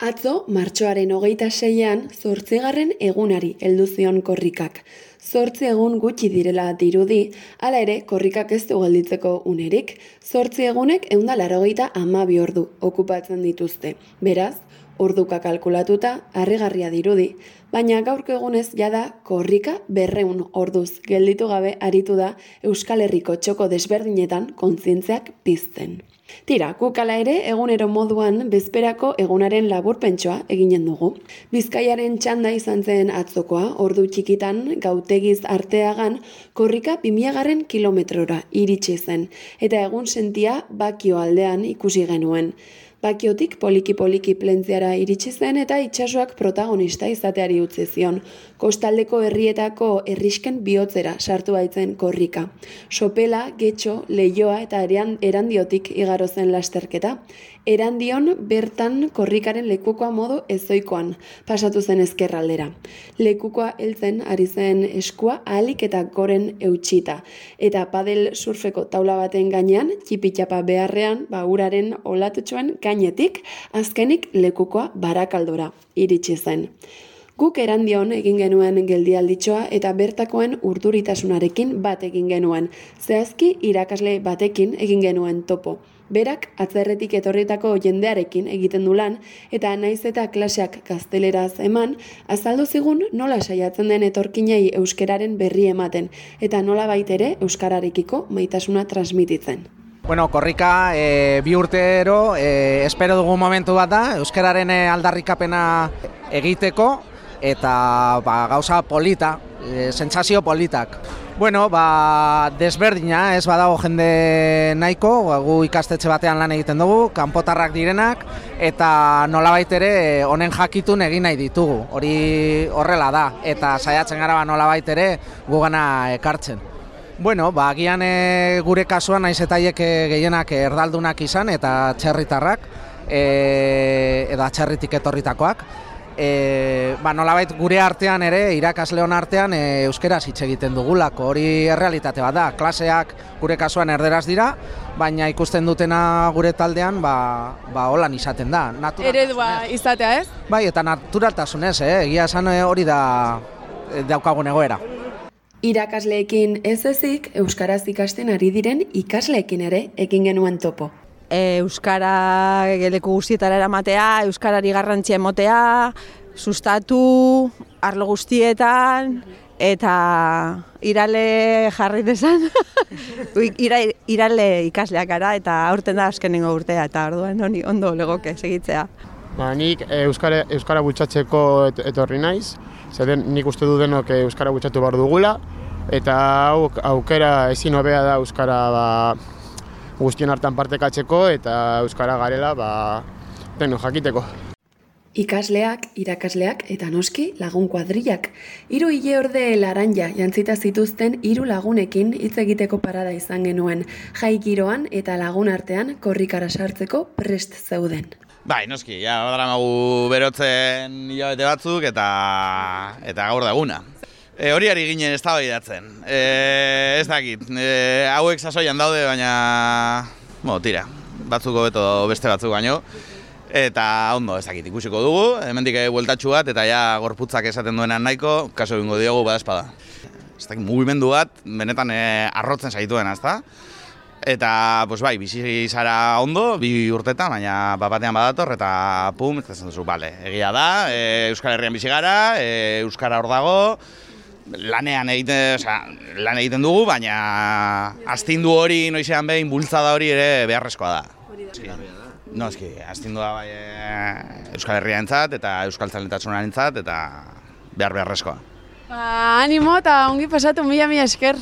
Atzo, martxoaren 26an, 8. egunari heldu zion korrikak. 8 egun gutxi direla dirudi, hala ere korrikak ez du gelditzeko unerik. 8 egunek 182 ordu okupatzen dituzte. Beraz, orduka kalkulatuta, harrigarria dirudi, baina gaurko egunez jada korrika 200 orduz gelditu gabe aritu da Euskal Herriko txoko desberdinetan kontzientziak pizten. Tira, guk hala ere egunero moduan bezperako egunaren laburpentsoa eginen dugu. Bizkaiaren txanda izan zen atzokoa, ordu txikitan gautegiz arteagan korrika 2000 kilometrora iritsi zen, eta egun sentia Bakio aldean ikusi genuen. Bakiotik poliki-poliki plentziara iritsi zen eta itsasoak protagonista izateari utzi zion. Kostaldeko herrietako herrisken bihotzera sartu baitzen korrika. Sopela, Getxo, Leioa eta Erandiotik igaro zen lasterketa. Erandion bertan korrikaren lekukoa modu ezoikoan pasatu zen ezkerraldera. Lekukoa heltzen ari zen eskua ahalik eta goren eutxita. Eta padel surfeko taula baten gainean, txipitxapa beharrean, uraren olatutxoen gainetik, azkenik lekukoa barakaldora iritsi zen. Guk Erandion egin genuen geldialditxoa eta bertakoen urduritasunarekin bat egin genuen. Zehazki irakasle batekin egin genuen topo. Berak atzerretik etorritako jendearekin egiten du lan eta naiz eta klaseak gazteleraz eman, azaldu zigun nola saiatzen den etorkinei euskararen berri ematen eta nola baitere euskararekiko maitasuna transmititzen. Bueno, korrika 2 urtero espero dugu momentu bat da, euskararen aldarrikapena egiteko eta gauza polita, sentsazio politak. Bueno, desberdina, ez badago jende nahiko, gu ikastetxe batean lan egiten dugu, kanpotarrak direnak, eta nolabait ere honen jakitun egin nahi ditugu. Hori horrela da, eta saiatzen gara nolabait ere gugana ekartzen. Bueno, agian gure kasuan naiz eta haiek gehienak erdaldunak izan eta txerritarrak, edo atxerritik etorritakoak. Nolabait gure artean ere, irakasleon artean euskeraz hitz egiten dugulako, hori errealitate bat da. Klaseak gure kasuan erderaz dira, baina ikusten dutena gure taldean holan izaten da. Eredua izatea, ez? Bai, eta naturaltasunez, egia esan hori da daukagun egoera. Irakasleekin ez ezik, euskaraz ikasten ari diren ikasleekin ere egin genuen topo. Euskara leku guztietara eramatea, euskarari garrantzia emotea, sustatu, arlo guztietan, eta irale jarri desan. Irale ikasleak gara eta aurten da azkenengo urtea, eta orduan ondo legoke segitzea. Nik euskara bultzatzeko etorri naiz, zeren nik uste du denok euskara bultzatu behar dugula, eta aukera ezin hobea da euskara guztion hartan partekatzeko eta euskara garela deno jakiteko. Ikasleak, irakasleak eta noski lagun kuadrillak. 3 ileorde laranja jantzita zituzten 3 lagunekin hitz egiteko parada izan genuen. Jai giroan eta lagun artean korrikara sartzeko prest zeuden. Bai, noski, daramagu berotzen hilabete batzuk eta gaur da eguna. Hori ari ginen eztabaidatzen. Ez dakit, hauek sasoian daude, baina tira, batzuk hobeto beste batzuk baino. Eta ondo, ez dakit, ikusiko dugu, hemendik bueltatxu bat, eta ja gorputzak esaten duenan nahiko, kaso egingo diogu badespada. Ez dakit, mugimendu bat, benetan arrotzen zaituen, ezta? Eta, bizi zara ondo, 2 urtetan, baina batean badator, eta pum, ez duzu, egia da, Euskal Herrian bizi gara, Euskara hor dago, lan egiten dugu, baina astindu hori noizean behin bultzada hori ere beharrezkoa da. Noski, astindua bai Euskal Herriarentzat eta Euskal Zaletasunaren entzat eta beharrezkoa. Animo eta ongi pasatu, mila esker.